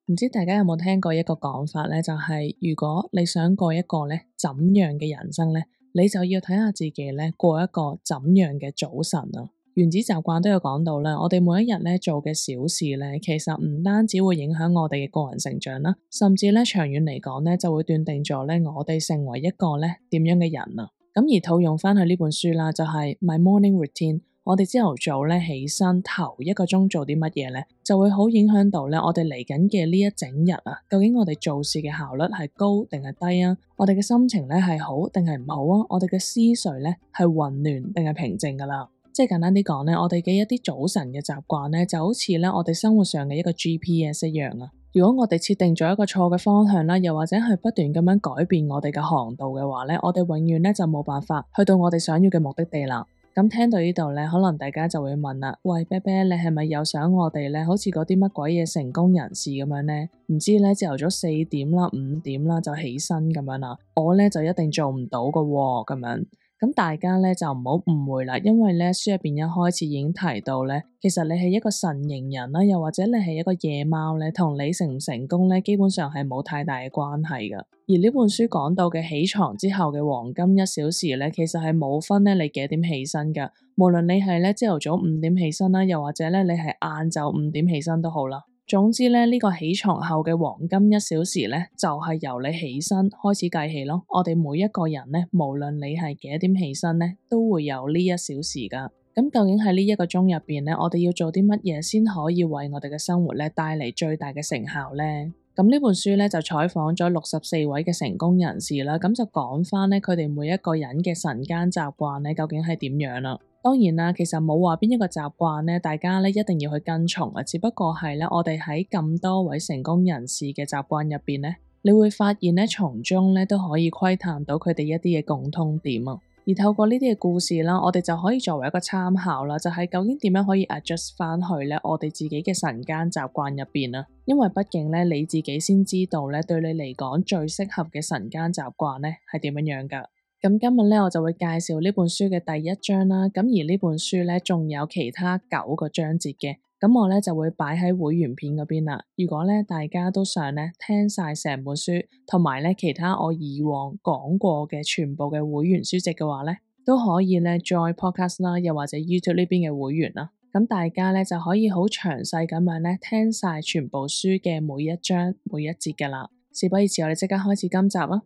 唔知大家有冇聽過一個講法咧，就係如果你想過一個咧怎樣嘅人生咧，你就要睇下自己咧過一個怎樣嘅早晨啊。原子習慣都有講到啦，我哋每一日咧做嘅小事咧，其實唔單止會影響我哋嘅個人成長啦，甚至咧長遠嚟講咧，就會斷定咗咧我哋成為一個咧點樣嘅人啊。咁而套用翻去呢本書啦，就係 My Morning Routine。我哋朝頭早咧起身頭一個鐘做啲乜嘢咧，就會好影響到咧我哋嚟緊嘅呢一整日啊。究竟我哋做事嘅效率係高定係低啊？我哋嘅心情咧係好定係唔好啊？我哋嘅思緒咧係混亂定係平靜噶啦？即係簡單啲講咧，我哋嘅一啲早晨嘅習慣咧，就好似咧我哋生活上嘅一個 GPS 一樣啊。如果我哋設定咗一個錯嘅方向啦，又或者係不斷咁樣改變我哋嘅航道嘅話咧，我哋永遠咧就冇辦法去到我哋想要嘅目的地啦。咁聽到呢度咧，可能大家就會問啦，喂，啤啤，你係咪又想我哋咧，好似嗰啲乜鬼嘢成功人士咁樣咧？唔知咧朝頭早4點啦、5點啦就起身咁樣啦，我咧就一定做唔到噶喎，咁樣。咁大家咧就唔好誤會啦，因為咧書入邊一開始已經提到咧，其實你係一個晨型人啦，又或者你係一個夜貓咧，同你成唔成功咧，基本上係冇太大嘅關係噶。而呢本書講到嘅起床之後嘅黃金1小時咧，其實係冇分咧你幾點起身噶，無論你係咧朝頭早5點起身啦，又或者咧你係晏晝5點起身都好啦。總之咧，呢個起床後嘅黃金1小時咧，就係由你起身開始計起咯。我哋每一個人咧，無論你係幾點起身咧，都會有呢1小時噶。咁究竟喺呢1個鐘入邊咧，我哋要做啲乜嘢先可以為我哋嘅生活咧帶嚟最大嘅成效咧？咁呢本書咧就採訪咗64位嘅成功人士啦，咁就講翻咧佢哋每一個人嘅晨間習慣咧，究竟係點樣啦？當然啦，其實冇話邊一個習慣咧，大家咧一定要去跟從啊。只不過係咧，我哋喺咁多位成功人士嘅習慣入邊咧，你會發現咧，從中咧都可以窺探到佢哋一啲嘅共通點啊。而透過呢啲嘅故事啦，我哋就可以作為一個參考啦，就係究竟點樣可以 adjust 翻去咧我哋自己嘅晨間習慣入邊啊。因為畢竟咧你自己先知道咧，對你嚟講最適合嘅晨間習慣咧係點樣樣噶。咁今日咧我就會介紹呢本書嘅第1章啦，咁而呢本書咧仲有其他9個章節嘅，咁我咧就會擺喺會員片嗰邊啦。如果咧大家都想咧聽晒成本書，同埋咧其他我以往講過嘅全部嘅會員書籍嘅話咧，都可以咧 join podcast 啦，又或者 YouTube 呢邊嘅會員啦。咁大家咧就可以好詳細咁樣咧聽晒全部書嘅每一章每一節噶啦。事不宜遲，我哋即刻開始今集啊！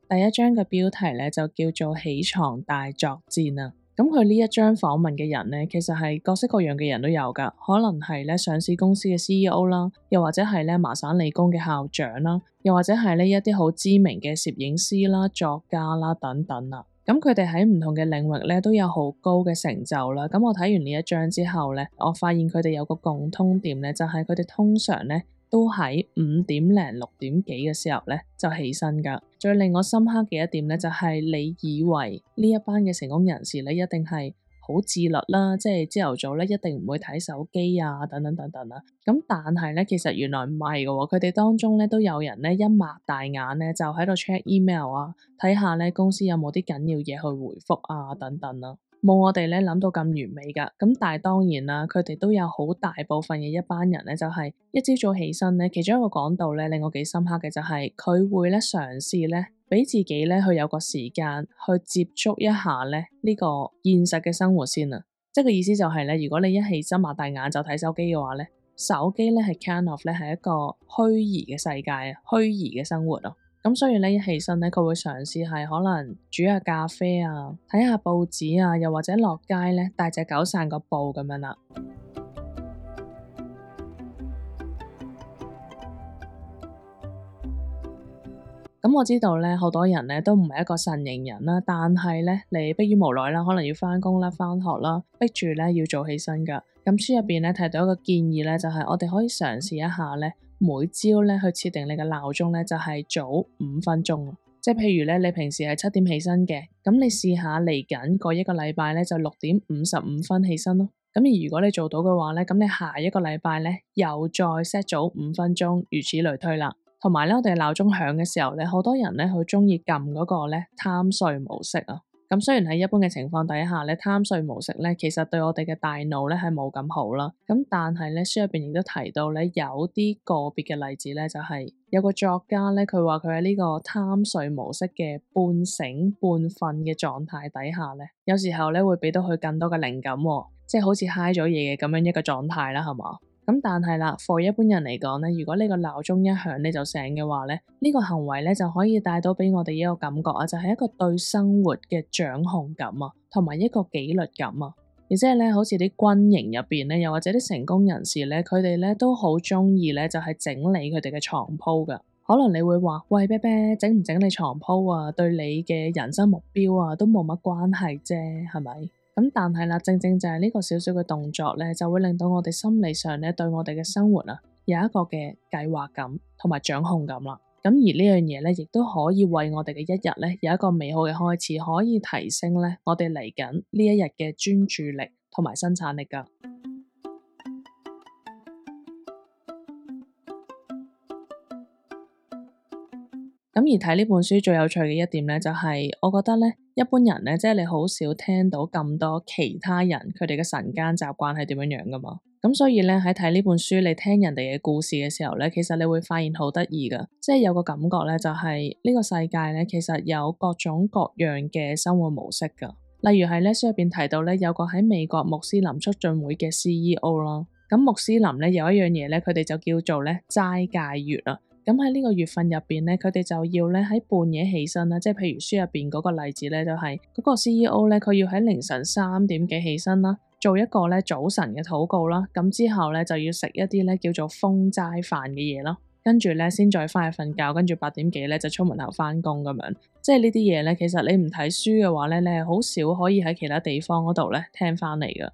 第1章嘅標題咧就叫做起床大作戰啊！咁佢呢一章訪問嘅人咧，其實係各式各樣嘅人都有噶，可能係咧上市公司嘅 CEO 啦，又或者係咧麻省理工嘅校長啦，又或者係呢一啲好知名嘅攝影師啦、作家啦等等啊。咁佢哋喺唔同嘅領域咧都有好高嘅成就啦。咁我睇完呢一章之後咧，我發現佢哋有個共通點咧，就係佢哋通常咧都喺5點零6點幾嘅時候咧就起身噶。最令我深刻嘅一點咧就係你以為呢一班嘅成功人士咧一定係好自律啦，即係朝頭早咧一定唔會睇手機啊等等等等啦。咁但係咧其實原來唔係嘅，佢哋當中咧都有人咧一擘大眼咧就喺度 check email 啊，睇下咧公司有冇啲緊要嘢去回覆啊等等啦。冇我哋咧諗到咁完美噶，咁但係當然啦，佢哋都有好大部分嘅一班人咧，就係一朝早起身咧，其中一個講道咧令我幾深刻嘅就係佢會咧嘗試咧俾自己咧去有個時間去接觸一下咧呢個現實嘅生活先啊，即係個意思就係咧，如果你一起身擘大眼就睇手機嘅話咧，手機咧係 kind of 咧係一個虛擬嘅世界啊，虛擬嘅生活啊。咁所以咧一起身咧，佢會嘗試係可能煮下咖啡啊，睇下報紙啊，又或者落街咧帶隻狗散個步咁樣啦。咁我知道咧，好多人咧都唔係一個晨型人啦，但係咧你迫於無奈啦，可能要返工啦、返學啦，逼住咧要早起身噶。咁書入邊咧提到一個建議咧，就係我哋可以嘗試一下咧，每朝咧去設定你嘅鬧鐘咧，就係早5分鐘。即係譬如咧，你平時係7點起身嘅，咁你試下嚟緊嗰一個禮拜咧，就6點55分起身咯。咁而如果你做到嘅話咧，咁你下一個禮拜咧又再 set 早5分鐘，如此類推啦。同埋咧，我哋鬧鐘響嘅時候咧，好多人咧好中意撳嗰個咧貪睡模式啊。咁雖然喺一般嘅情況底下咧，貪睡模式咧，其實對我哋嘅大腦咧係冇咁好啦。咁但係咧，書入邊亦都提到咧，有啲個別嘅例子咧，就係有個作家咧，佢話佢喺呢個貪睡模式嘅半醒半瞓嘅狀態底下咧，有時候咧會俾到佢更多嘅靈感喎，即係好似嗨咗嘢嘅咁樣一個狀態啦，係嘛？咁但係啦，for 一般人嚟講咧，如果呢個鬧鐘一響你就醒嘅話咧，呢個行為咧就可以帶到俾我哋一個感覺啊，就係一個對生活嘅掌控感啊，同埋一個紀律感啊。亦即係咧，好似啲軍營入邊咧，又或者啲成功人士咧，佢哋咧都好中意咧，就係整理佢哋嘅床鋪噶。可能你會話，喂，啤啤，整唔整理床鋪啊，對你嘅人生目標啊，都冇乜關係啫，係咪？咁但係啦，正正就係呢個小小嘅動作咧，就會令到我哋心理上咧，對我哋嘅生活啊，有一個嘅計劃感同埋掌控感啦。咁而呢樣嘢咧，亦都可以為我哋嘅一日咧，有一個美好嘅開始，可以提升咧我哋嚟緊呢一日嘅專注力同埋生產力噶。咁而睇呢本書最有趣嘅一點咧，就係我覺得咧，一般人咧，即係你好少聽到咁多其他人佢哋嘅晨間習慣係點樣樣噶嘛。咁所以咧，喺睇呢本書，你聽人哋嘅故事嘅時候咧，其實你會發現好得意噶，即係有個感覺咧，就係呢個世界咧，其實有各種各樣嘅生活模式噶。例如係咧，書入邊提到咧，有個喺美國穆斯林促進會嘅 CEO 啦。咁穆斯林咧有一樣嘢咧，佢哋就叫做咧齋戒月啊。咁喺呢個月份入邊咧，佢哋就要咧喺半夜起身啦，即係譬如書入邊嗰個例子咧，就係嗰個 CEO 咧，佢要喺凌晨3點幾起身啦，做一個咧早晨嘅禱告啦，咁之後咧就要食一啲咧叫做封齋飯嘅嘢咯，跟住咧先再翻去瞓覺，跟住8點幾咧就出門口翻工咁樣，即係呢啲嘢咧，其實你唔睇書嘅話咧，你係好少可以喺其他地方嗰度咧聽翻嚟噶。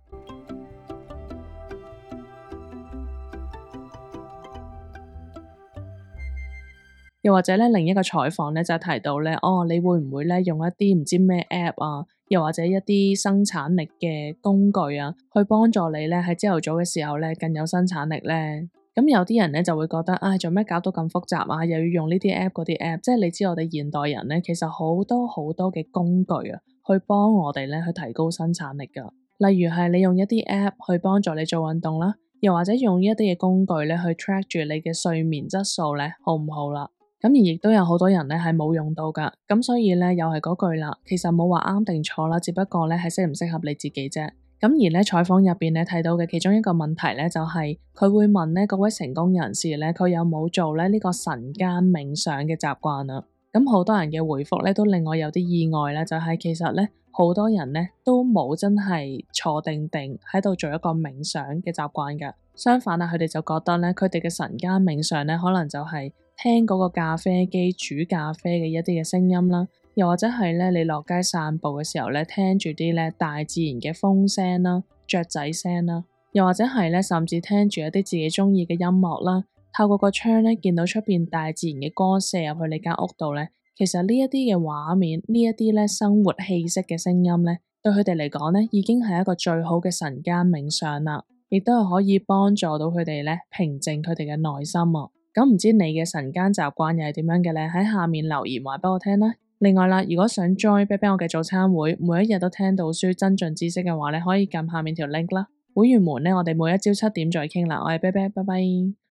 又或者咧，另一個採訪咧就提到咧，你會唔會咧用一啲唔知咩 app 啊，又或者一啲生產力嘅工具啊，去幫助你咧喺朝頭早嘅時候咧更有生產力咧？咁有啲人咧就會覺得，做咩搞到咁複雜啊？又要用呢啲 app 嗰啲 app，即係你知我哋現代人咧，其實好多好多嘅工具啊，去幫我哋咧去提高生產力噶。例如係你用一啲 app 去幫助你做運動啦，又或者用一啲嘅工具咧去 track 住你嘅睡眠質素咧，好唔好啦？咁而亦都有好多人咧係冇用到噶，咁所以咧又係嗰句啦，其實冇話啱定錯啦，只不過咧係適唔適合你自己啫。咁而咧採訪入邊咧睇到嘅其中一個問題咧就係佢會問咧嗰位成功人士咧佢有冇做咧呢個晨間冥想嘅習慣啊？咁好多人嘅回覆咧都令我有啲意外咧，就係其實咧好多人咧都冇真係坐定定喺度做一個冥想嘅習慣噶，相反啊，佢哋就覺得咧佢哋嘅晨間冥想咧可能就係聽嗰個咖啡機煮咖啡嘅一啲嘅聲音啦，又或者係咧你落街散步嘅時候咧聽住啲咧大自然嘅風聲啦、雀仔聲啦，又或者係咧甚至聽住一啲自己中意嘅音樂啦，透過個窗咧見到出邊大自然嘅光射入去你間屋度咧，其實呢一啲嘅畫面，呢一啲咧生活氣息嘅聲音咧，對佢哋嚟講咧已經係一個最好嘅晨間冥想啦，亦都係可以幫助到佢哋咧平靜佢哋嘅內心啊。咁唔知你嘅晨間習慣又係點樣嘅咧？喺下面留言話俾我聽啦。另外啦，如果想 join 啤啤我嘅早餐會，每一日都聽到書增進知識嘅話咧，可以撳下面條 link 啦。會員們咧，我哋每一朝7點再傾啦。我係啤啤，拜拜。